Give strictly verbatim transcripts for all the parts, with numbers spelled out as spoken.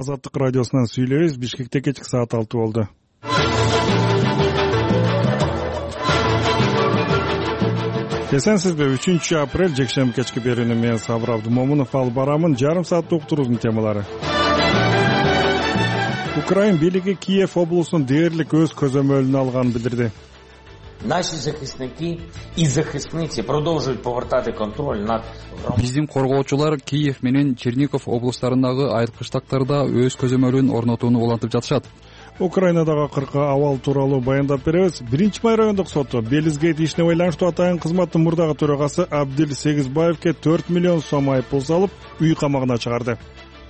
Азаттык радиосунан сүйлөйбүз. Бишкекте кечки саат алты болду. Эсенсизби? үчүнчү апрель жекшемби кечки берүүнү мен Сабыр Абдымомунов алып барамын. Жарым сааттык уктуруубуздун темалары. Украин бийлиги Киев облусунун дээрлик өз көзөмөлүнө алганын билдирди. Наши захисники и захисницы продолжают повертати контроль над. Биздин коргоочулар Киев менен Чернигов облустарындагы айылкыштактарда өз көзөмөлүн орнотууну улантып жатышат. Украинадагы акыркы абал тууралуу баяндап беребиз. Биринчи май райондук соту Белизгейт ишине байланыштуу атайын кызматтын мурдагы төрагасы Абдил Сегизбаевке төрт миллион сом айыппул салып, үй камагына чыгарды.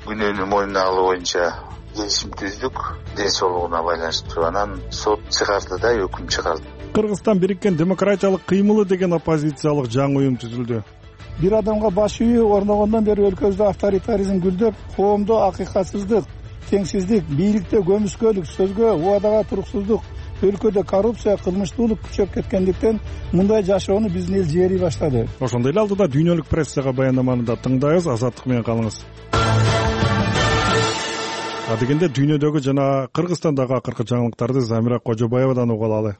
Күнөөнү мойнуна алуу боюнча келишим түздүк, ден соолугуна байланыштуу. Анан сот чыгарды да өкүм чыгарды. Кыргызстан бириккен демократиялык кыймылы деген оппозициялык жаңы уюм түзүлдү. Бир адамга баш үйү орногондон бери өлкөбүздө авторитаризм гүлдөп, коомдо акыйкатсыздык, теңсиздик, бийликте көмүскөлүк, сөзгө убадага туруксуздук, өлкөдө коррупция, кылмыштуулук күчөп кеткендиктен мындай жашоону биздин эл жери баштады. Ошондой эле алдыда дүйнөлүк прессага баяндаманы да тыңдайбыз. Азаттык менен калыңыз. Адегенде дүйнөдөгү жана Кыргызстандагы акыркы жаңылыктарды Замира Кожобаевадан угуп алалы.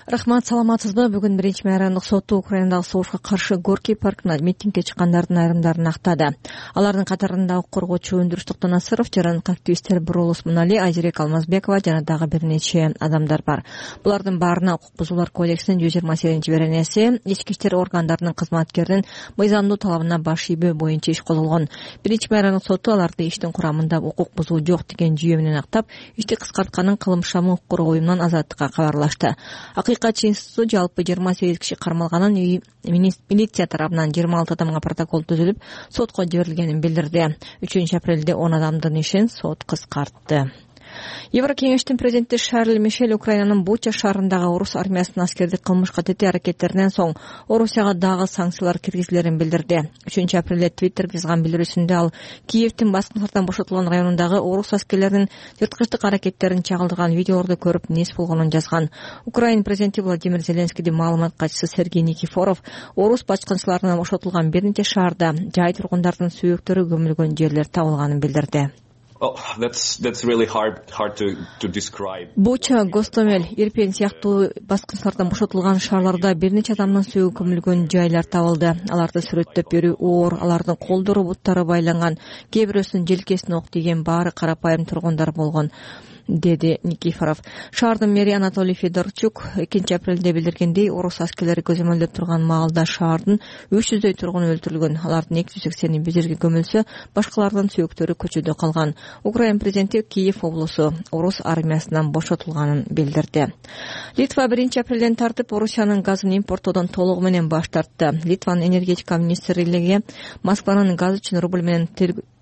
Рахмат, саламатсызбы? Бүгүн биринчи май райондук соту Украинадагы согушка каршы Горький паркына митингге чыккандардын айрымдарын актады. Алардын катарында коргоочу Өндүрүш Токтонасыров, жарандык активисттер Буролус Мунали, Айжерек Алмазбекова жана дагы бир нече адамдар бар. Булардын баарына укук бузуулар кодексинин жүз жыйырма сегизинчи беренеси ички иштер органдарынын кызматкеринин мыйзамдуу талабына баш ийбөө боюнча иш козголгон. биринчи май райондук соту аларды иштин курамында укук бузуу жок деген жүйө менен актап, ишти кыскартканын кылмышчамы укук коргоо уюмунан азаттыкка кабарлашты. Акыйкатчы институту жалпы жыйырма сегиз киши кармалганын, милиция тарабынан жыйырма алты адамга протокол түзүлүп, сотко жиберилгенин билдирди. үчүнчү апрелде он адамдын ишин сот кыскартты. Еврокеңештин президенти Шарль Мишель Украинанын Буча шаарындагы орус армиясынын аскердик кылмышка тете аракеттеринен соң Орусияга дагы санкциялар киргизилерин билдирди. үчүнчү апрелде Твиттерге жазган билдирүүсүндө ал Киевдин баскынчылардан бошотулган районундагы орус аскерлеринин жырткычтык аракеттерин чагылдырган видеолорду көрүп нес болгонун жазган. Украин президенти Владимир Зеленскийдин маалымат катчысы Сергей Никифоров орус баскынчыларынан бошотулган бир нече шаарда жай тургундардын сүйөктөрү көмүлгөн жерлер табылганын билдирди. Oh, that's that's really hard hard to to describe. Буча, Гостомель, Ирпень сыяктуу баскынчылардан бошотулган шаарларда бир нече адамдын сүйөгү көмүлгөн жайлар табылды. Аларды сүрөттөп берүү оор, алардын колдору, буттары байланган, кээ бирөөсүнүн желкесине ок тийген, баары карапайым тургундар болгон, деди Никифоров. Шаардын мэри Анатолий Федорчук экинчи апрелде билдиргендей, орус аскерлери көзөмөлдөп турган маалда шаардын үч жүздөй тургуну өлтүрүлгөн. Алардын эки жүз сексени бир жерге көмүлсө, башкалардын сүйөктөрү көчөдө калган. Украин президенти Киев облусу орус армиясынан бошотулганын билдирди. Литва биринчи апрелден тартып Орусиянын газын импорттоодон толугу менен баш тартты. Литванын энергетика министрлиги Москванын газ үчүн рубль менен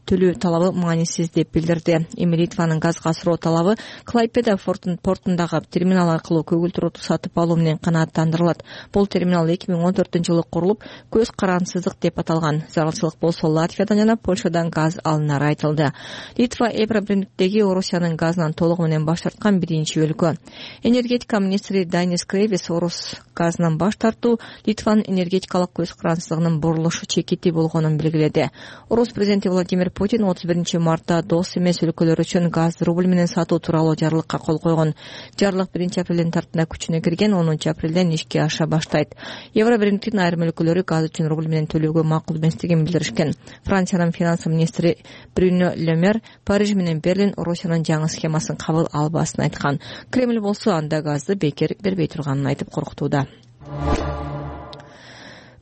төлөө талабы маанисиз деп билдирди. Эми Литванын газга асыроо талабы Клайпеда портундагы терминал аркылуу көгүлтүр оту сатып алуу менен канааттандырылат. Бул терминал эки миң он төртүнчү жылы курулуп, көз карансыздык деп аталган. Зарылчылык болсо Латвиядан жана Польшадан газ алынары айтылды. Литва Евробирниктеги Орусиянын газынан толугу менен баш тарткан биринчи өлкө. Энергетика министри Данис Кревис орус газынан баш тартуу Литванын энергетикалык көз карансыздыгынын бурулушу чекити болгонун белгиледи. Орус президенти Владимир Путин отуз биринчи мартта дос эмес өлкөлөр үчүн газ рубль менен сатуу тууралуу жарлыкка кол койгон. Жарлык биринчи апрелден тартына күчүнө кирген, онунчу апрелден ишке аша баштайт. Евробирниктин айрым өлкөлөрү газ үчүн рубль менен төлөөгө макул эместигин билдиришкен. Франциянын финанс министри Брюно Ле Мер Париж менен Берлин Орусиянын жаңы схемасын кабыл албасын айткан. Кремль болсо анда газды бекер бербей турганын айтып коркутууда.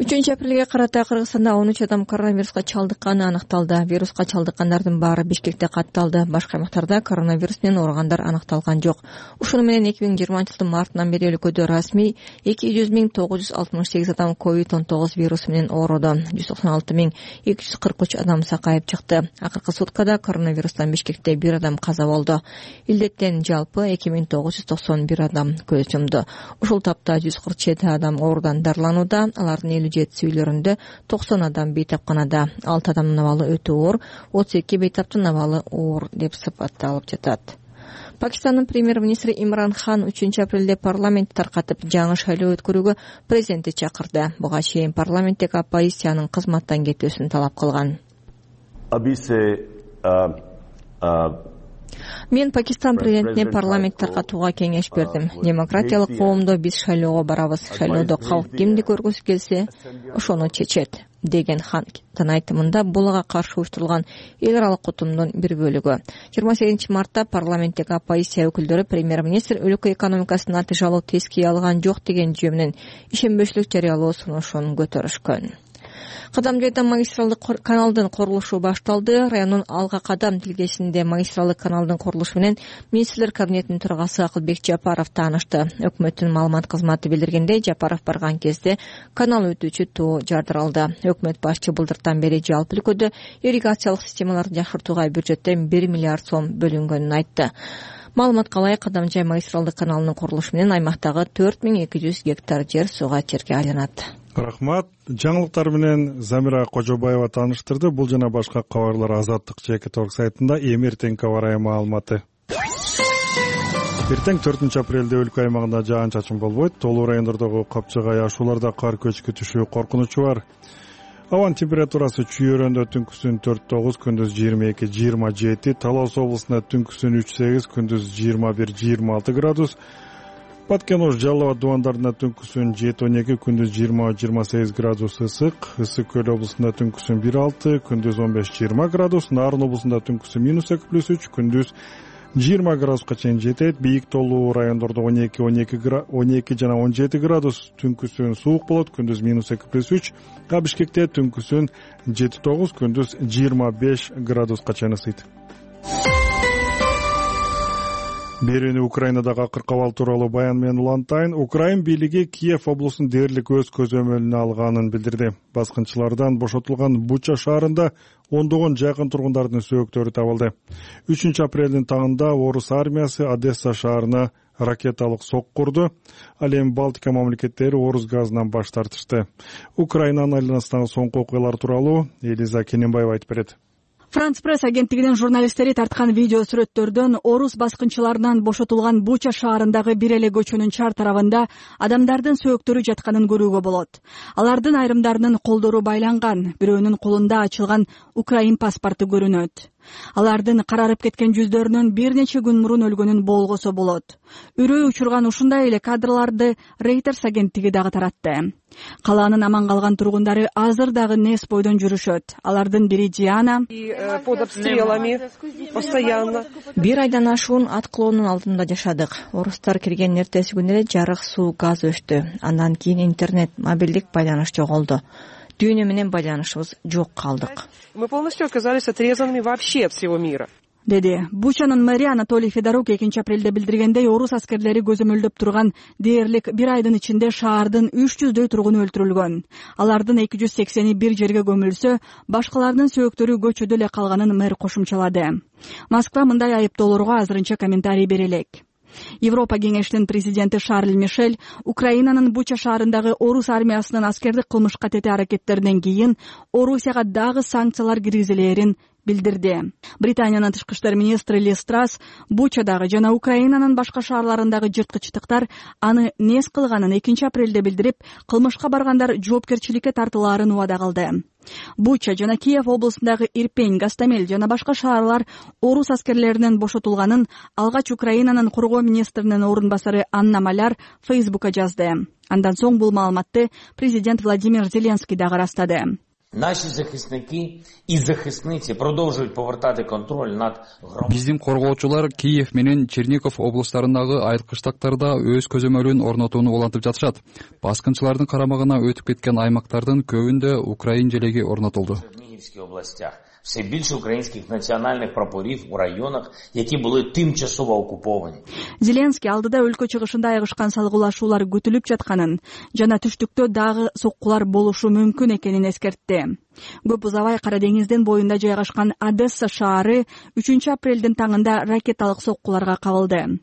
үчүнчү апрелге карата Кыргызстанда он үч адам коронавируска чалдыкканы аныкталды. Вируска чалдыккандардын баары Бишкекте катталды. Башка аймактарда коронавирус менен ооругандар аныкталган жок. Ушуну менен эки миң жыйырманчы жылдын мартынан бери өлкөдө расмий эки жүз миң тогуз жүз алтымыш сегиз адам ковид он тогуз вирусу менен ооруду. жүз токсон алты миң эки жүз кырк үч адам сакайып чыкты. Акыркы суткада коронавирустан Бишкекте бир адам каза болду. Илдеттен жалпы эки миң тогуз жүз токсон бир адам көз жумду. Ушул тапта жүз кырк жети адам оорудан дарыланууда. Алардын элүү жети үйлөрүндө токсон адам бейтапканада, алты адамдын абалы өтө оор, отуз эки бейтаптын абалы оор деп сыпатталып жатат. Пакистандын премьер-министри Имран Хан үчүнчү апрелде парламентти таркатып жаңы шайлоо өткөрүүгө президентти чакырды. Буга чейин парламенттеги оппозициянын кызматтан кетүүсүн талап кылган. Мен Пакистан президентине парламент таркатууга кеңеш бердим. Демократиялык коомдо биз шайлоого барабыз. Шайлоодо калк кимди көргүсү келсе, ошону чечет, деген хан айтымында бул ага каршы уюштурулган эл аралык кутумдун бир бөлүгү. жыйырма сегизинчи мартта парламенттеги оппозиция өкүлдөрү премьер-министр өлкө экономикасынын натыйжалуу тескей алган жок деген жүйө менен ишенбөчүлүк жарыялоо сунушун көтөрүшкөн. Кадам жайда магистралдык каналдын курулушу башталды. Райондун Алга Кадам тилкесинде магистралдык каналдын курулушу менен министрлер кабинетинин төрагасы Акылбек Жапаров таанышты. Өкмөттүн маалымат кызматы билдиргендей, Жапаров барган кезде канал өтүүчү тоо жардыралды. Өкмөт башчы былтыртан бери жалпы өлкөдө ирригациялык системаларды жакшыртууга бюджеттен бир миллиард сом бөлүнгөнүн айтты. Маалыматка ылайык, Кадам жай магистралдык каналынын курулушу менен аймактагы төрт миң эки жүз гектар жер сууга черке айланат. Рахмат. Жаңылыктар менен Замира Кожобаева тааныштырды. Бул жана башка кабарлар Азаттык Чекит орг сайтында. Эми эртең кабар маалыматы. Эртең төртүнчү апрелде өлкө аймагында жаан чачын болбойт. Толуу райондордогу Капчыгай ашууларда кар көчкү түшүү коркунучу бар. Абанын температурасы Чүйөрөндө түнкүсүн төрт тогуз, күндүз жыйырма эки жыйырма жети, Талас облусунда түнкүсүн үч сегиз, күндүз жыйырма бир жыйырма алты градус. Баткен-Ош, Жалал Абад дубандарында түнкүсүн жети он эки, күндүз жыйырма жыйырма сегиз градус ысык. Ысык Көл облусунда түнкүсүн бир алты, күндүз он беш жыйырма градус. Нарын облусунда түнкүсүн минус эки плюс үч, күндүз жыйырма градуска чейин жетет. Бийик толуу райондордо он эки он эки он эки жана он жети градус. Түнкүсүн суук болот, күндүз минус эки плюс үч. А Бишкекте түнкүсүн жети тогуз, күндүз жыйырма беш градуска чейин ысыйт. Берүүнү Украинадагы акыркы абал тууралуу баян менен улантайын. Украин бийлиги Киев облусун дээрлик өз көзөмөлүнө алганын билдирди. Баскынчылардан бошотулган Буча шаарында ондогон жакын тургундардын сөөктөрү табылды. үчүнчү апрелдин таңында орус армиясы Одесса шаарына ракеталык сок курду. Ал эми Балтика мамлекеттери орус газынан баш тартышты. Украинанын айланасындагы соңку окуялар тууралуу Элиза Кененбаева айтып берет. Франц пресс агенттигинин журналисттери тарткан видео сүрөттөрдөн орус баскынчыларынан бошотулган Буча шаарындагы бир эле көчөнүн чар тарабында адамдардын сөөктөрү жатканын көрүүгө болот. Алардын айрымдарынын колдору байланган, бирөөнүн колунда ачылган Украин паспорту көрүнөт. Алардын карарып кеткен жүздөрүнөн бир нече күн мурун өлгөнүн болгосо болот. Үрөө учурган ушундай эле кадрларды Reuters агенттиги дагы таратты. Калаанын аман калган тургундары азыр дагы нес бойдон жүрүшөт. Алардын бири Диана. Бир айдан ашуун аткылоонун алдында жашадык. Орустар кирген эртеси күнү эле жарык, суу, газ өчтү. Андан кийин интернет, мобилдик байланыш жоголду. Дүйнө менен байланышыбыз жок калдык. Мы полностью оказались отрезанными вообще от всего мира. Деди. Бучанын мэри Анатолий Федорук экинчи апрелде билдиргендей, орус аскерлери көзөмөлдөп турган дээрлик бир айдын ичинде шаардын үч жүздөй тургуну өлтүрүлгөн. Алардын эки жүз сексени бир жерге көмүлсө, башкалардын сөөктөрү көчөдө эле калганын мэр кошумчалады. Москва мындай айыптоолорго азырынча комментарий бере элек. Европа кеңешинин президенти Шарль Мишель Украинанын Буча шаарындагы орус армиясынын аскердик кылмышка тете аракеттеринен кийин Орусияга дагы санкциялар киргизилээрин билдирди. Британиянын тышкы иштер министри Ли Страс Бучадагы жана Украинанын башка шаарларындагы жырткычтыктар аны нес кылганын экинчи апрелде билдирип, кылмышка баргандар жоопкерчиликке тартылаарын убада кылды. Буча жана Киев облусундагы Ирпень, Гастамель жана башка шаарлар орус аскерлеринен бошотулганын алгач Украинанын коргоо министринин орун басары Анна Маляр Фейсбукка жазды. Андан соң бул маалыматты президент Владимир Зеленский дагы ырастады. Наші захисники і захисниці продовжують повертати контроль над громадою. Биздин коргоочулар Киев менен Чернигов облустарындагы айылкычтактарда өз көзөмөлүн орнотууну улантып жатышат. Баскынчылардын карамагына өтүп кеткен аймактардын көбүндө Украин желеги орнотулду. В Чернігівській областях все більше українських національних прапорів у районах, які були тимчасово окуповані. Зеленский алдыда өлкө чыгышында айгышкан салгылашуулар күтүлүп жатканын жана түштүктө дагы соккулар болушу мүмкүн экенин эскертти. Көп узабай Кара деңиздин боюнда жайгашкан Одесса шаары үчүнчү апрелдин таңында ракеталык соккуларга кабылды.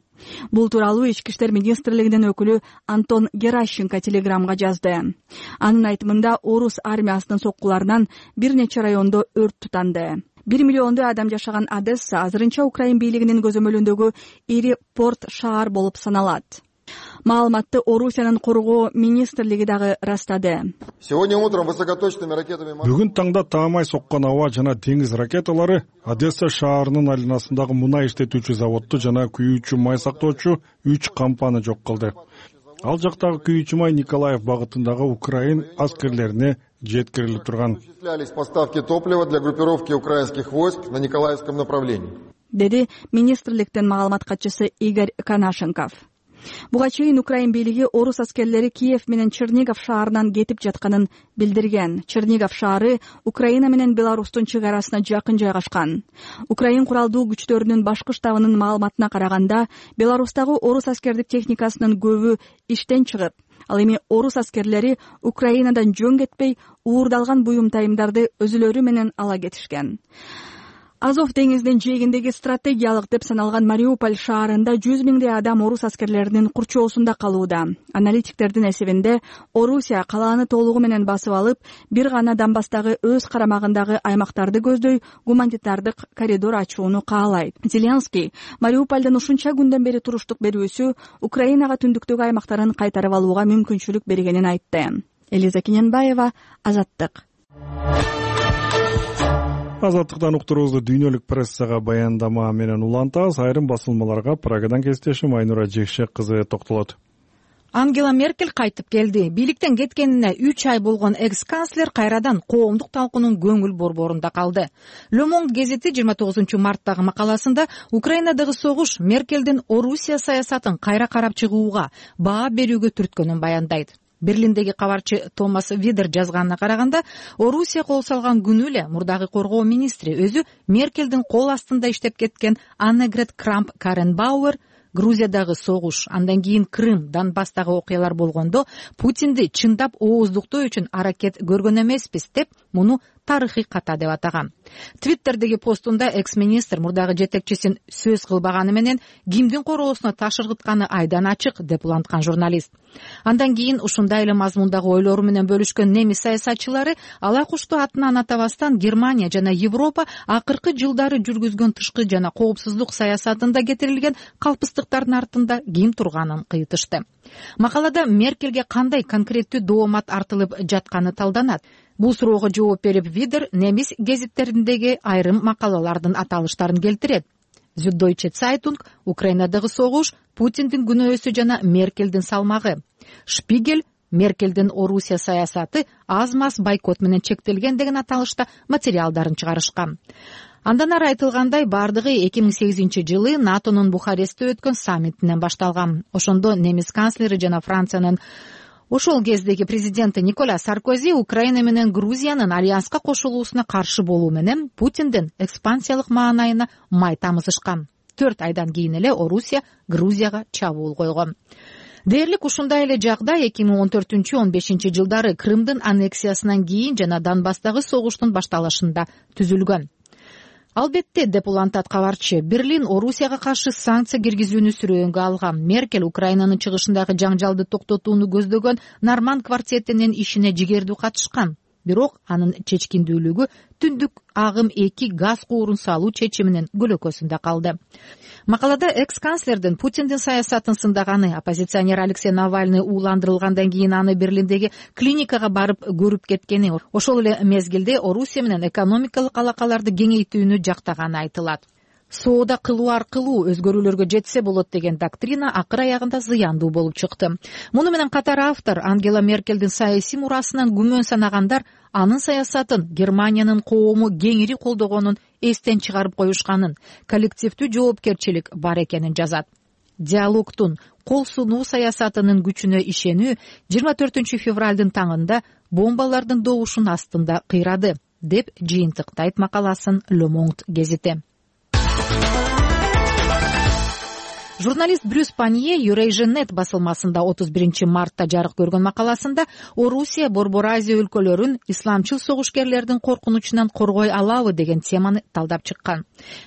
Бул тууралуу Ички иштер министрлигинин өкүлү Антон Геращенко телеграмга жазды. Анын айтымында орус армиясынын соккуларынан бир нече райондо өрт тутанды. Бир миллиондой адам жашаган Одесса азырынча Украин бийлигинин көзөмөлүндөгү ири порт шаар болуп саналат. Маалыматты Орусиянын коргоо министрлиги дагы ырастады. Бүгүн таңда таамай соккон аба жана деңиз ракеталары Одесса шаарынын айланасындагы мунай иштетүүчү заводду жана күйүүчү май сактоочу үч кампаны жок кылды. Ал жактагы күйүүчү май Николаев багытындагы Украин аскерлерине жеткирилип турган. Поставки топлива для группировки украинских войск на Николаевском направлении, деди министрликтин маалымат катчысы Игорь Канашенков. Буга чейин Украин бийлиги орус аскерлери Киев менен Чернигов шаарынан кетип жатканын билдирген. Чернигов шаары Украина менен Беларустун чек арасына жакын жайгашкан. Украин куралдуу күчтөрүнүн башкы штабынын маалыматына караганда, Беларустагы орус аскердик техникасынын көбү иштен чыгып, ал эми орус аскерлери Украинадан жөн кетпей, уурдалган буюм-тайымдарды өзүлөрү менен ала кетишкен. Азов деңизинин жээгиндеги стратегиялык деп саналган Мариуполь шаарында жүз миңдей адам орус аскерлеринин курчоосунда калууда. Аналитиктердин эсебинде Орусия калааны толугу менен басып алып, бир гана Донбасстагы өз карамагындагы аймактарды көздөй гуманитардык коридор ачууну каалайт. Зеленский Мариупольдон ушунча күндөн бери туруштук берүүсү Украинага түндүктөгү аймактарын кайтарып алууга мүмкүнчүлүк бергенин айтты. Элиза Киненбаева, Азаттык. Азаттыктан уктуруубузду дүйнөлүк прессага баяндама менен улантабыз. Айрым басылмаларга Прагадан кесиптешим Айнура Жекшек кызы токтолот. Ангела Меркель кайтып келди. Бийликтен кеткенине үч ай болгон экс-канцлер кайрадан коомдук талкуунун көңүл борборунда калды. Le Monde гезити жыйырма тогузунчу марттагы макаласында Украинадагы согуш Меркелдин Орусия саясатын кайра карап чыгууга, баа берүүгө түрткөнүн баяндайт. Берлиндеги кабарчы Томас Видер жазганына караганда, Орусия кол салган күнү эле мурдагы коргоо министри өзү Меркелдин кол астында иштеп кеткен Аннегрет Крамп-Карренбауэр Грузиядагы согуш, андан кийин Крым, Донбасстагы окуялар болгондо Путинди чындап ооздуктоо үчүн аракет көргөн эмеспиз деп, муну тарыхый ката деп атаган. Твиттердеги постунда экс-министр мурдагы жетекчисин сөз кылбаганы менен кимдин короосуна ташыргытканы айдан ачык деп уланткан журналист. Андан кийин ушундай эле мазмундагы ойлору менен бөлүшкөн немис саясатчылары ала кушту атынан атабастан Германия жана Европа акыркы жылдары жүргүзгөн тышкы жана коопсуздук саясатында кетирилген калпыстыктардын артында ким турганын кыйтышты. Макалада Меркелге кандай конкреттүү доомат артылып жатканы талданат. Бул суроого жооп берип Видер немис гезиттериндеги айрым макалалардын аталыштарын келтирет. Süddeutsche Zeitung, Украинадагы согуш, Путиндин күнөөсү жана Меркелдин салмагы. Шпигель, Меркелдин Орусия саясаты аз-маз бойкот менен чектелген деген аталышта материалдарын чыгарышкан. Андан ары айтылгандай, бардыгы эки миң сегизинчи жылы НАТОнун Бухарестте өткөн саммитинен башталган. Ошондо немис канцлери жана Франциянын ошол кездеги президенти Николя Саркози Украина менен Грузиянын альянска кошулуусуна каршы болуу менен Путиндин экспансиялык маанайына май тамызышкан. Төрт айдан кийин эле Орусия Грузияга чабуул койгон. Дээрлик ушундай эле жагдай эки миң он төртүнчү он бешинчи жылдары Крымдын аннексиясынан кийин жана Донбасстагы согуштун башталышында түзүлгөн. Албетте, деп улантат кабарчы, Берлин Орусияга каршы санкция киргизүүнү сүрөөнгө алган. Меркель Украинанын чыгышындагы жаңжалды токтотууну көздөгөн Норманд квартетинин ишине жигердүү катышкан. Бирок анын чечкиндүүлүгү түндүк агым эки газ куурун салуу чечиминин көлөкөсүндө калды. Макалада экс-канцлердин Путиндин саясатын сындаганы, оппозиционер Алексей Навальный ууландырылгандан кийин аны Берлиндеги клиникага барып көрүп кеткени, ошол эле мезгилде Орусия менен экономикалык алакаларды кеңейтүүнү жактаганы айтылат. Соода кылуу аркылуу өзгөрүүлөргө жетсе болот деген доктрина акыр аягында зыяндуу болуп чыкты. Муну менен катар автор Ангела Меркелдин саясий мурасынан күмөн санагандар анын саясатын Германиянын коому кеңири колдогонун эстен чыгарып коюшканын, коллективдүү жоопкерчилик бар экенин жазат. Диалогтун, кол сунуу саясатынын күчүнө ишенүү жыйырма төртүнчү февралдын таңында бомбалардын добушун астында кыйрады, деп жыйынтыктайт макаласын Le Monde гезити. Журналист Брюс Панье Eurasian.net басылмасында отуз биринчи мартта жарык көргөн макаласында Орусия Борбор Азия өлкөлөрүн исламчыл согушкерлердин коркунучунан коргой алабы деген теманы талдап чыккан.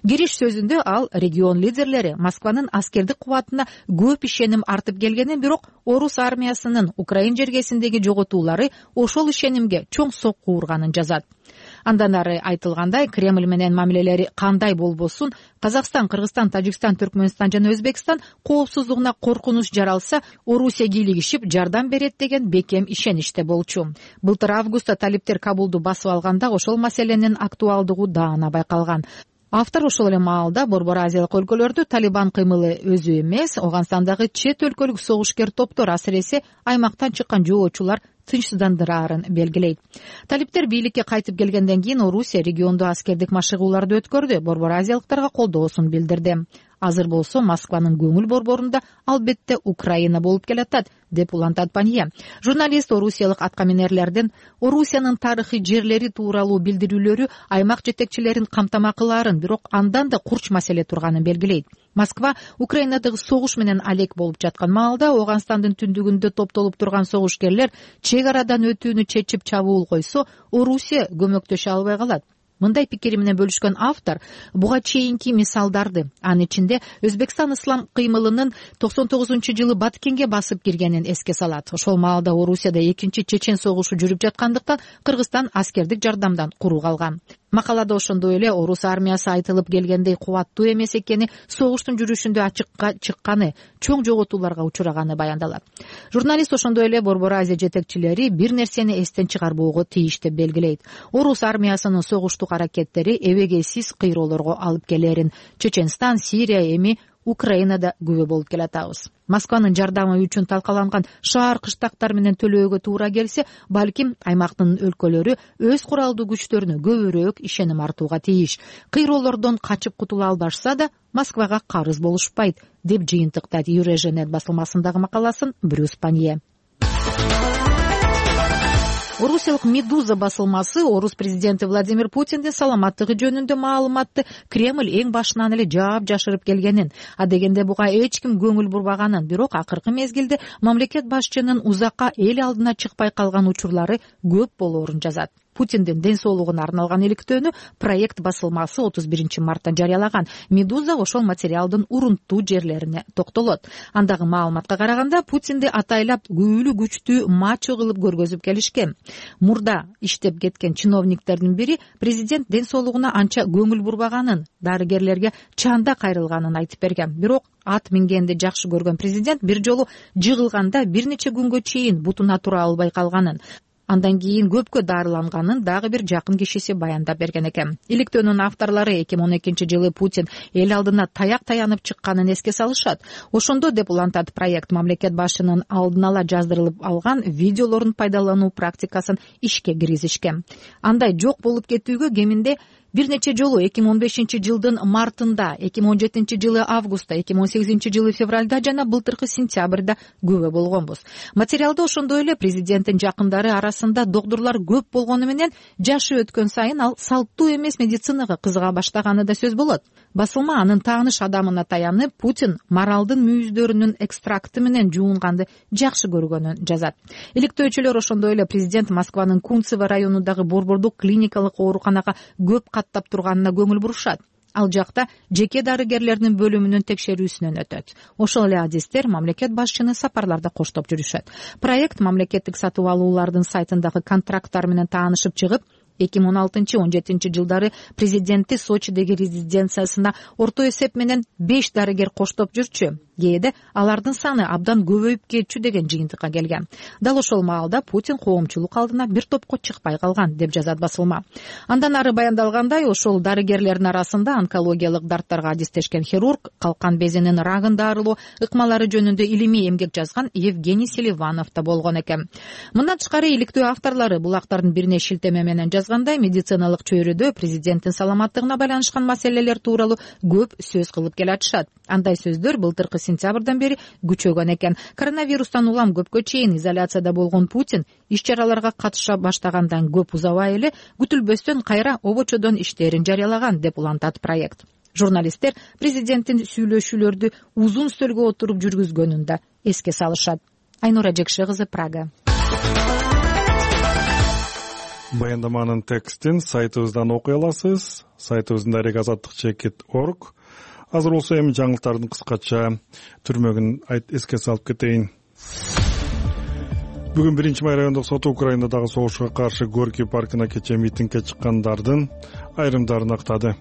Кириш сөзүндө ал регион лидерлери Москванын аскердик кубатына көп ишеним артып келгенин, бирок орус армиясынын Украин жергесиндеги жоготуулары ошол ишенимге чоң сокку урганын жазат. Андан ары айтылгандай, Кремль менен мамилелери кандай болбосун, Казакстан, Кыргызстан, Тажикстан, Түркмөнстан жана Өзбекстан коопсуздугуна коркунуч жаралса, Орусия кийлигишип жардам берет деген бекем ишеничте болчу. Былтыр августта талиптер Кабулду басып алганда ошол маселенин актуалдыгы даана байкалган. Автор ошол эле маалда Борбор Азиялык өлкөлөрдү Талибан кыймылы өзү эмес, Ооганстандагы чет өлкөлүк согушкер топтор, асыресе аймактан чыккан жоочулар тынчсыздандыраарын белгилейт. Талиптер бийликке кайтып келгенден кийин Орусия региондо аскердик машыгууларды өткөрдү, Борбор Азиялыктарга колдоосун билдирди. Азыр болсо Москванын көңүл борборунда албетте Украина болуп келатат, деп улантат Панье. Журналист орусиялык аткаминерлердин Орусиянын тарыхый жерлери тууралуу билдирүүлөрү аймак жетекчилерин камтама кылаарын, бирок андан да курч маселе турганын белгилейт. Москва Украинадагы согуш менен алек болуп жаткан маалда Ооганстандын түндүгүндө топтолуп турган согушкерлер чек арадан өтүүнү чечип чабуул койсо, Орусия көмөктөшө албай калат. Мындай пикири менен бөлүшкөн автор буга чейинки мисалдарды, анын ичинде Өзбекстан ислам кыймылынын токсон тогузунчу жылы Баткенге басып киргенин эске салат. Ошол маалда Орусияда экинчи чечен согушу жүрүп жаткандыктан Кыргызстан аскердик жардамдан куру калган. Макалада ошондой эле орус армиясы айтылып келгендей кубаттуу эмес экени, согуштун жүрүшүндө ачыкка чыкканы, чоң жоготууларга учураганы баяндалат. Журналист ошондой эле Борбор Азия жетекчилери бир нерсени эстен чыгарбоого тийиш деп белгилейт. Орус армиясынын согуштук аракеттери эбегейсиз кыйроолорго алып келерин, Чеченстан, Сирия, эми Украинада күбө болуп келатабыз. Москванын жардамы үчүн талкаланган шаар кыштактар менен төлөөгө туура келсе, балким аймактын өлкөлөрү өз куралдуу күчтөрүнө көбүрөөк ишеним артууга тийиш. Кыйроолордон качып кутула албашса да Москвага карыз болушпайт, деп жыйынтыктайт Юреженет басылмасындагы макаласын Брюс Панье. Орусиялык Медуза басылмасы орус президенти Владимир Путиндин саламаттыгы жөнүндө маалыматты Кремль эң башынан эле жаап жашырып келгенин, адегенде буга эч ким көңүл бурбаганын, бирок акыркы мезгилде мамлекет башчынын узакка эл алдына чыкпай калган учурлары көп болоорун жазат. Путиндин ден соолугуна арналган иликтөөнү проект басылмасы отуз биринчи мартта жарыялаган. Медуза ошол материалдын урунттуу жерлерине токтолот. Андагы маалыматка караганда, Путинди атайлап күбөлүү күчтүү мачо кылып көргөзүп келишкен. Мурда иштеп кеткен чиновниктердин бири президент ден соолугуна анча көңүл бурбаганын, дарыгерлерге чанда кайрылганын айтып берген. Бирок ат мингенди жакшы көргөн президент бир жолу жыгылганда бир нече күнгө чейин бутуна тура албай калганын, андан кийин көпкө дарыланганын дагы бир жакын кишиси баяндап берген экен. Иликтөөнүн авторлору эки миң он экинчи жылы Путин эл алдына таяк таянып чыкканын эске салышат. Ошондо, деп улантат проект, мамлекет башчынын алдын ала жаздырылып алган видеолорун пайдалануу практикасын ишке киргизишкен. Андай жок болуп кетүүгө кеминде бир нече жолу эки миң он бешинчи жылдын мартында, эки миң он жетинчи жылы августта, эки миң он сегизинчи жылы февралда жана былтыркы сентябрда күбө болгонбуз. Материалда ошондой эле президенттин жакындары арасында докторлор көп болгону менен жашы өткөн сайын ал салттуу эмес медицинага кызыга баштаганы да сөз болот. Басылма анын тааныш адамына таянып, Путин маралдын мүйүздөрүнүн экстракты менен жуунганды жакшы көргөнүн жазат. Иликтөөчүлөр ошондой эле президент Москванын Кунцево районундагы борбордук клиникалык ооруканага көп каттап турганына көңүл бурушат. Ал жакта жеке дарыгерлердин бөлүмүнүн текшерүүсүнөн өтөт. Ошол эле адистер мамлекет башчыны сапарларда коштоп жүрүшөт. Проект мамлекеттик сатып алуулардын сайтындагы контракттар менен таанышып чыгып, эки миң он алтынчы он жетинчи жылдары президенти Сочидеги резиденциясына орто эсеп менен беш дарыгер коштоп жүрчү. Кээде алардын саны абдан көбөйүп кетчү деген жыйынтыкка келген. Дал ошол маалда Путин коомчулук алдына бир топко чыкпай калган, деп жазат басылма. Андан ары баяндалгандай, ошол дарыгерлердин арасында онкологиялык дарттарга адистешкен хирург, калкан безинин рагын дарылоо ыкмалары жөнүндө илимий эмгек жазган Евгений Селиванов да болгон экен. Мындан тышкары иликтөө авторлору булактардын бирине шилтеме менен жазгандай, медициналык чөйрөдө президенттин саламаттыгына байланышкан маселелер тууралуу көп сөз кылып келатышат. Андай сөздөр былтыркы сентябрдан бери күчөгөн экен. Коронавирустан улам көпкө чейин изоляцияда болгон Путин иш-чараларга катыша баштагандан көп узабай эле күтүлбөстөн кайра обочодон иштерин жарыялаган, деп улантат проект. Журналисттер президенттин сүйлөшүүлөрдү узун стөлгө отуруп жүргүзгөнүн да эске салышат. Айнура Жекше кызы, Прага. Баяндаманын текстин сайтыбыздан окуй аласыз. Сайтыбыздын дарек азаттык чекит точка орг. Азыр болсо эми жаңылыктардын кыскача түрмөгүн айт эске салып кетейин. Бүгүн биринчи май райондук соту Украинадагы согушка каршы Горький паркына кечээ митингге чыккандардын айрымдарын актады.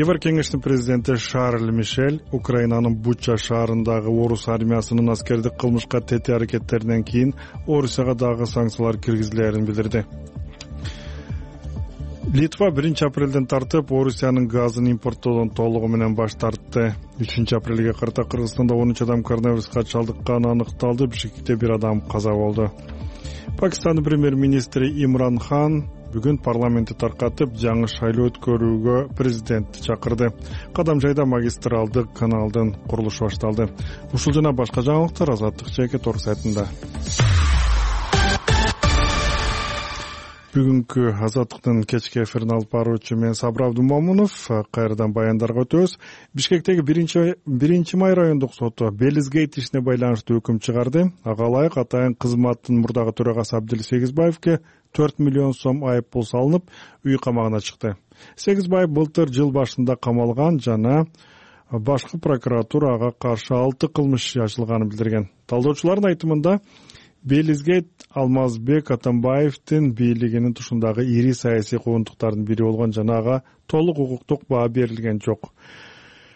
Евр кеңештин президенти Шарль Мишель Украинанын Буча шаарындагы орус армиясынын аскердик кылмышка тете аракеттеринен кийин Орусияга дагы санкциялар киргизилерин билдирди. Литва биринчи апрелден тартып Орусиянын газын импорттоодон толугу менен баш тартты. үчүнчү апрелге карата Кыргызстанда он үч адам коронавируска чалдыкканы аныкталды. Бишкекте бир адам каза болду. Пакистандын премьер-министри Имран Хан бүгүн парламентти таркатып, жаңы шайлоо өткөрүүгө президентти чакырды. Кадам жайда магистралдык каналдын курулушу башталды. Ушул жана башка жаңылыктар Азаттык жеке тор сайтында. Бүгүнкү Азаттыктын кечки эфирин алып баруучу мен Сабыр Абдумомунов. Кайрадан баяндарга өтөбүз. Бишкектеги биринчи май райондук соту Белизгейт ишине байланыштуу өкүм чыгарды. Ага ылайык атайын кызматтын мурдагы төрагасы Абдил Сегизбаевке төрт миллион сом айып пул салынып, үй камагына чыкты. Сегизбаев былтыр жыл башында камалган жана башкы прокуратура ага каршы алты кылмыш ачылганын билдирген. Талдоочулардын айтымында Белизгейт Алмазбек Атамбаевдин бийлигинин тушундагы ири саясий куугунтуктардын бири болгон жана ага толук укуктук баа берилген жок.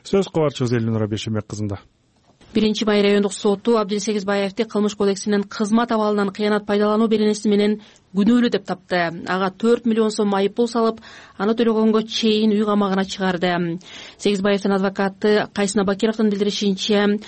Сөз кабарчыбыз Элнура Бешемек кызында. биринчи май райондук соту Абдил Сегизбаевди кылмыш кодексинин кызмат абалынан кыянат пайдалануу беренеси менен күнөөлүү деп тапты. Ага төрт миллион сом айып пул салып, аны төлөгөнгө чейин үй камагына чыгарды. Сегизбаевдин адвокаты Кайсына Бакировдун билдиришинче,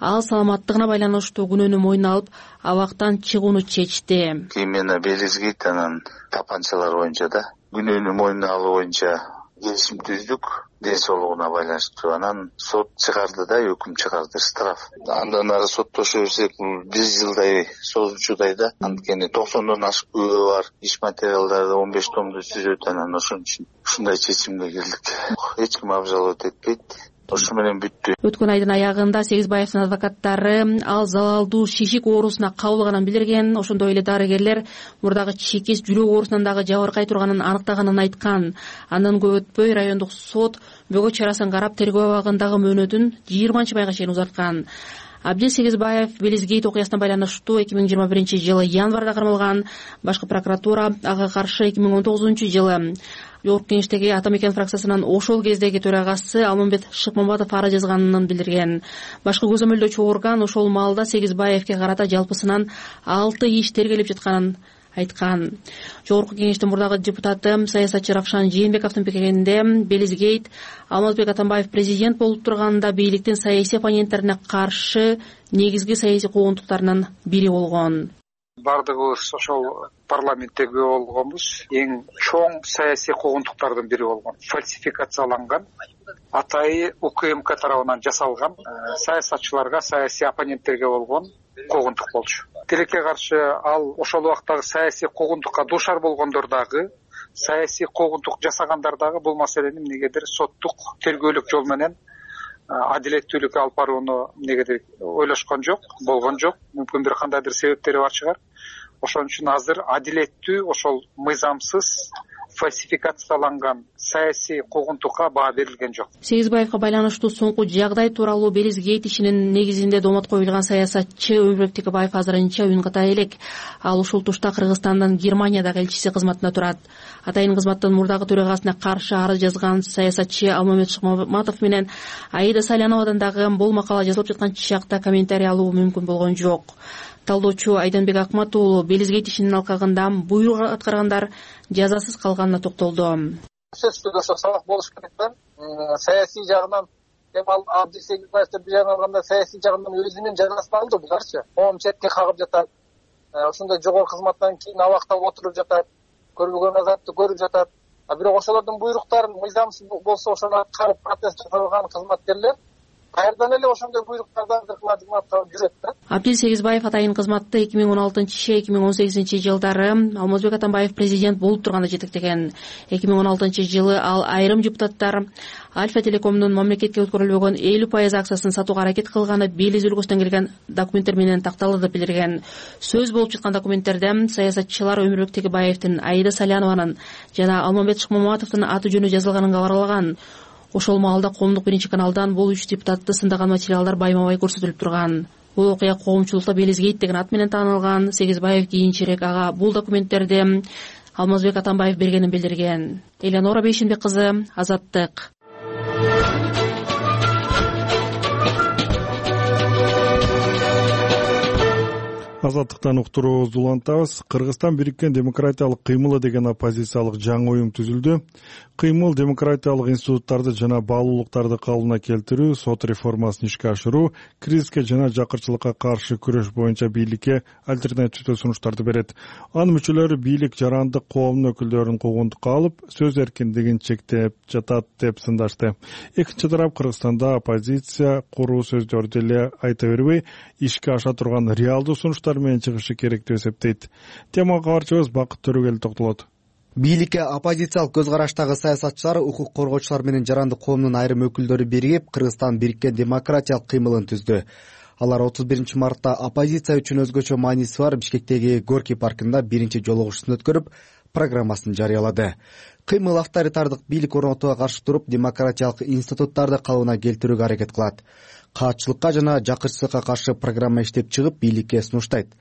ал саламаттыгына байланыштуу күнөөнү мойнуна алып, абактан чыгууну чечти. Именно Белизгейт анан тапанчалар боюнча да күнөөнү мойнуна алуу боюнча келишим түздүк, ден соолугуна байланыштуу. Анан сот чыгарды да, өкүм чыгарды, штраф. Андан ары соттошо берсек, бир жылдай созулчудай да. Анткени токсондон ашык күбө бар, иш материалдары он беш томду түзөт, анан ошон үчүн ушундай чечимге келдик. Эч ким обжаловать этпейт. Ошу менен бүттү. Өткөн айдын аягында Сегизбаевдин адвокаттары ал залалдуу шишик оорусуна кабылганын билдирген. Ошондой эле дарыгерлер мурдагы чекис жүрөк оорусунан дагы жабыркай турганын аныктаганын айткан. Андан көп өтпөй райондук сот бөгөт чарасын карап тергөө абагындагы мөөнөтүн жыйырманчы майга чейин узарткан. Абдил Сегизбаев Белизгейт окуясына байланыштуу эки миң жыйырма биринчи жылы январда кармалган. Башкы прокуратура ага каршы эки миң он тогузунчу жылы Жогорку кеңештеги Ата Мекен фракциясынын ошол кездеги төрагасы Алмамбет Шыкмамбатов ара жазганын билдирген. Башкы көзөмөлдөөчү орган ошол маалда Сегизбаевке карата жалпысынан алты иш тергелип жатканын айткан. Жогорку кеңештин мурдагы депутаты саясатчы Равшан Жээнбековдун пикиринде Белизгейт Алмазбек Атамбаев президент болуп турганда бийликтин саясий оппоненттерине каршы негизги саясий куугунтуктарынын бири болгон. Бардыгыбыз ошол парламенттеги болгонбуз. Эң чоң саясий куугунтуктардын бири болгон. Фальсификацияланган, атайы УКМК тарабынан жасалган саясатчыларга, саясий оппоненттерге болгон куугунтук болчу. Тилекке каршы ал ошол убактагы саясий куугунтукка дуушар болгондор дагы, саясий куугунтук жасагандар дагы бул маселени эмнегедир соттук тергөөлүк жол менен адилеттүүлүккө алып барууну эмнегедир ойлошкон жок, болгон жок. Мүмкүн бир кандайдыр себептери бар чыгар. Ошон үчүн азыр адилеттүү, ошол мыйзамсыз, фальсификацияланган саясий куугунтукка баа берилген жок. Сегизбаевга байланыштуу соңку жагдай тууралуу Белизгейт ишинин негизинде домот коюлган саясатчы Өмүрбек Текебаев азырынча үн ката элек. Ал ушул тушта Кыргызстандын Германиядагы элчиси кызматында турат. Атайын кызматтын мурдагы төрагасына каршы арыз жазган саясатчы Алмамбет Шыкмамбатов менен Аида Саляновадан дагы бул макала жазылып жаткан чакта комментарий алуу мүмкүн болгон жок. Талдоочу Айданбек Акмат уулу Белизгейт ишинин алкагында буйрук аткаргандар жазасыз калганына токтолду. Сөзсүз ошо сабак болуш керек да. Саясий жагынан эми ал Абдил Сегизбаевдин бир жагынан алганда саясий жагынан өзүнүн жазасын алды буларчы. Коом четке кагып жатат. Ошондой жогорку кызматтан кийин абакта отуруп жатат. Көрбөгөн азапты көрүп жатат. А бирок ошолордун буйруктарын мыйзамсыз болсо ошону аткарып протест жасаган кызматкерлер кайрадан эле ошондой буйруктардан кыркылып жүрөт да. Абдил Сегизбаев атайын кызматты эки миң он алтынчы эки миң он сегизинчи жылдары Алмазбек Атамбаев президент болуп турганда жетектеген. эки миң он алтынчы жылы ал айрым депутаттар Альфа Телекомдун мамлекетке өткөрүлбөгөн элүү пайыз акциясын сатууга аракет кылганы Белиз өлкөсүнөн келген документтер менен такталды деп билдирген. Сөз болуп жаткан документтерде саясатчылар Өмүрбек Текебаевдин, Аида Салянованын жана Алмамбет Шыкмамбатовдун аты жөнү жазылганын кабарлаган. Ошол маалда коомдук биринчи каналдан бул үч депутатты сындаган материалдар байма-бай көрсөтүлүп турган. бул окуя коомчулукта Белизгейт деген ат менен таанылган. Сегизбаев кийинчерээк ага бул документтерди Алмазбек Атамбаев бергенин билдирген. Элеонора Бейшенбек кызы, Азаттык. Азаттыктан уктуруубузду улантабыз. Кыргызстан бириккен демократиялык кыймылы деген оппозициялык жаңы уюм түзүлдү. Кыймыл демократиялык институттарды жана баалуулуктарды калыбына келтирүү, сот реформасын ишке ашыруу, кризиске жана жакырчылыкка каршы күрөш боюнча бийликке альтернативдүү сунуштарды берет. Анын мүчөлөрү бийлик жарандык коомдун өкүлдөрүн куугунтукка алып, сөз эркиндигин чектеп жатат деп сындашты. Экинчи тарап Кыргызстанда оппозиция куруу сөздөрдү эле айта бербей, ишке аша турган реалдуу сунуштар менен чыгышы керек деп эсептейт. Темага кабарчыбыз Бакыт Төрөгел токтолот. Бийликке оппозициялык көз караштагы саясатчылар, укук коргоочулар менен жарандык коомдун айрым өкүлдөрү биригип, Кыргызстан бириккен демократиялык кыймылын түздү. Алар отуз биринчи мартта оппозиция үчүн өзгөчө мааниси бар Бишкектеги Горький паркында биринчи жолугушууну өткөрүп, программасын жарыялады. Кыймыл авторитардык бийлик орнотууга каршы туруп, демократиялык институттарды калыбына келтирүүгө аракет кылат. Каатчылыкка жана жакырчылыкка каршы программа иштеп чыгып, бийликке сунуштайт.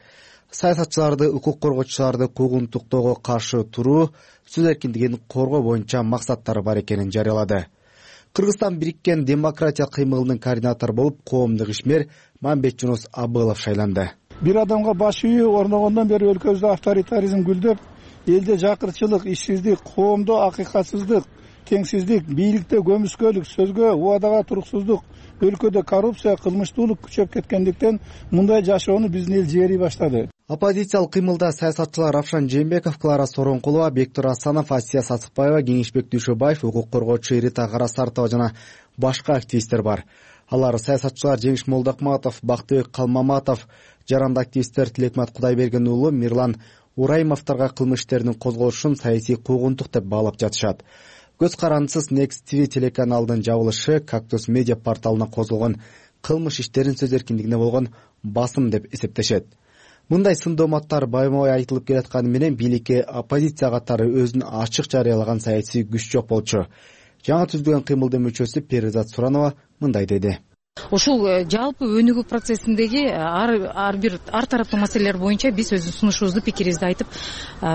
Саясатчыларды, укук коргоочуларды куугунтуктоого каршы туруу, сөз эркиндигин коргоо боюнча максаттары бар экенин жарыялады. Кыргызстан бириккен демократия кыймылынын координатору болуп коомдук ишмер Мамбет Жунус Абылов шайланды. Бир адамга баш үйү орногондон бери өлкөбүздө авторитаризм гүлдөп, элде жакырчылык, ишсиздик, коомдо акыйкатсыздык, теңсиздик, бийликте көмүскөлүк, сөзгө, убадага туруксуздук, өлкөдө коррупция, кылмыштуулук күчөп кеткендиктен мындай жашоону биздин эл жери баштады. Оппозициялык кыймылда саясатчылар Равшан Жээнбеков, Клара Соронкулова, Бектур Асанов, Асия Сатыкбаева, Кеңешбек Дүйшөбаев, укук коргоочу Рита Карасартова жана башка активисттер бар. Алар саясатчылар Жеңиш Молдокматов, Бактыбек Калмаматов, жаранды активисттер Тилекмат Кудайберген уулу, Мирлан Ураймовторго кылмыш иштеринин козголушун саясий куугунтук деп баалап жатышат. Көз карандысыз Next ти ви телеканалдын жабылышы Кактус медиа порталына козголгон кылмыш иштерин сөз эркиндигине болгон басым деп эсептешет. Мындай сындооматтар байма-бай айтылып келатканы менен бийликке оппозиция катары өзүн ачык жарыялаган саясий күч жок болчу. Жаңы түзүлгөн кыймылдын мүчөсү Перизат Суранова мындай деди. Ушул жалпы өнүгүү процессиндеги ар ар бир ар тараптуу маселелер боюнча биз өздүн сунушубузду, пикирибизди айтып,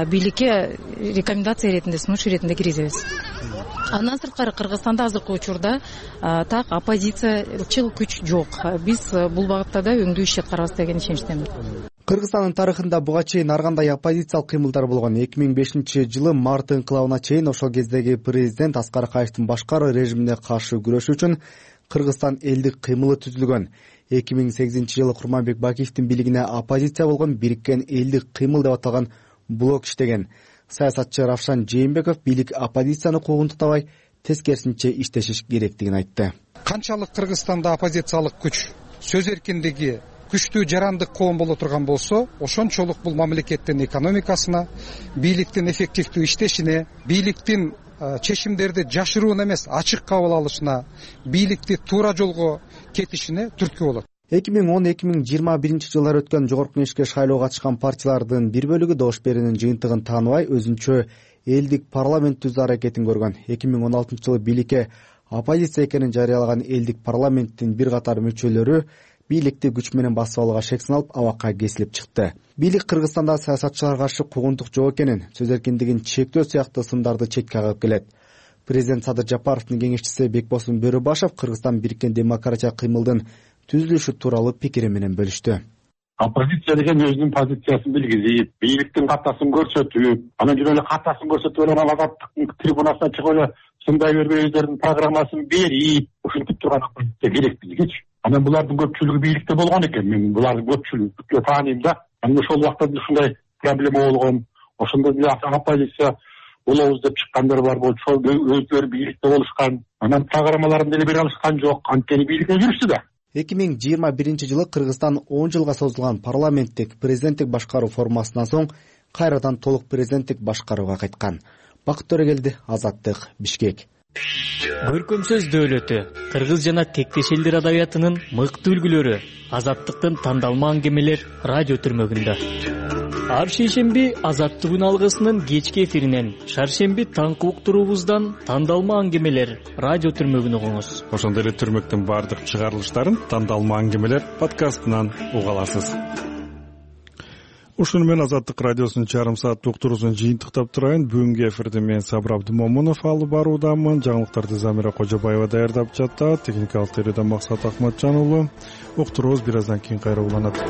бийликке рекомендация иретинде, сунуш иретинде киргизебиз. Андан сырткары Кыргызстанда азыркы учурда так оппозициячыл күч жок. Биз бул багытта да өңдүү иш аткарабыз деген ишеничтемин. Кыргызстандын тарыхында буга чейин ар кандай оппозициялык кыймылдар болгон. эки миң бешинчи жылы март инкылабына чейин ошол кездеги президент Аскар Акаевдин башкаруу режимине каршы күрөшүү үчүн Кыргызстан элдик кыймылы түзүлгөн. эки миң сегизинчи жылы Курманбек Бакиевдин бийлигине оппозиция болгон бириккен элдик кыймыл деп аталган блок иштеген. Саясатчы Равшан Жээнбеков бийлик оппозицияны куугунтуктабай, тескерисинче иштешиш керектигин айтты. Канчалык Кыргызстанда оппозициялык күч, сөз эркиндиги күчтүү жарандык коом боло турган болсо, ошончолук бул мамлекеттин экономикасына, бийликтин эффективдүү иштешине, бийликтин чечимдерди жашыруун эмес, ачык кабыл алышына, бийликти туура жолго кетишине түрткү болот. эки миң он эки миң жыйырма биринчи жылдары өткөн жогорку кеңешке шайлоого катышкан партиялардын бир бөлүгү добуш берүүнүн жыйынтыгын тааныбай, өзүнчө элдик парламент түзүү аракетин көргөн. эки миң он алтынчы жылы бийликке оппозиция экенин жарыялаган элдик парламенттин бир катар мүчөлөрү бийликти күч менен басып алууга шек саналып, абакка кесилип чыкты. Бийлик Кыргызстанда саясатчыларга каршы куугунтук жок экенин, сөз эркиндигин чектөө сыяктуу сындарды четке кагып келет. Президент Садыр Жапаровдун кеңешчиси Бекбосун Бөрөбашев Кыргызстан бириккен демократия кыймылдын түзүлүшү тууралуу пикири менен бөлүштү. Оппозиция деген өзүнүн позициясын билгизип, бийликтин катасын көрсөтүп, анан жүрүп эле катасын көрсөтүп эле азаттыктын трибунасына чыгып эле сындай бербей өздөрүнүн программасын берип, ушинтип турган оппозиция керек бизгечи. Анан булардын көпчүлүгү бийликте болгон экен. Мен булардын көпчүлүгү тааныйм да. Анан ошол убакта ушундай проблема болгон. Ошондо бир оппозиция болобуз деп чыккандар бар болчу. Ошол өздөрү бийликте болушкан. Анан программаларын деле бере алышкан жок. Анткени бийликте жүрүштү да. эки миң жыйырма биринчи жылы Кыргызстан он жылга созулган парламенттик президенттик башкаруу формасынан соң кайрадан толук президенттик башкарууга кайткан. Бакыт Төрөгелди, Азаттык, Бишкек. Көркөм сөз дөөлөтү, кыргыз жана тектеш элдер адабиятынын мыкты үлгүлөрү, Азаттыктын тандалма аңгемелер радио түрмөгүндө. ар шейшемби Азаттык үн алгысынын кечки эфиринен, шаршемби таңкы уктуруубуздан тандалма аңгемелер радио түрмөгүн угуңуз. Ошондой эле түрмөктүн баардык чыгарылыштарын тандалма аңгемелер подкастынан уга аласыз. Ушуну менен Азаттык радиосунун чарым сааттык уктуруусун жыйынтыктап турайын. Бүгүнкү эфирди мен Сабыр Абдымомунов алып баруудамын. Жаңылыктарды Замира Кожобаева даярдап жатат. Техникалык тереден Максат Акматжан уулу. Уктуруубуз бир аздан кийин кайра уланат.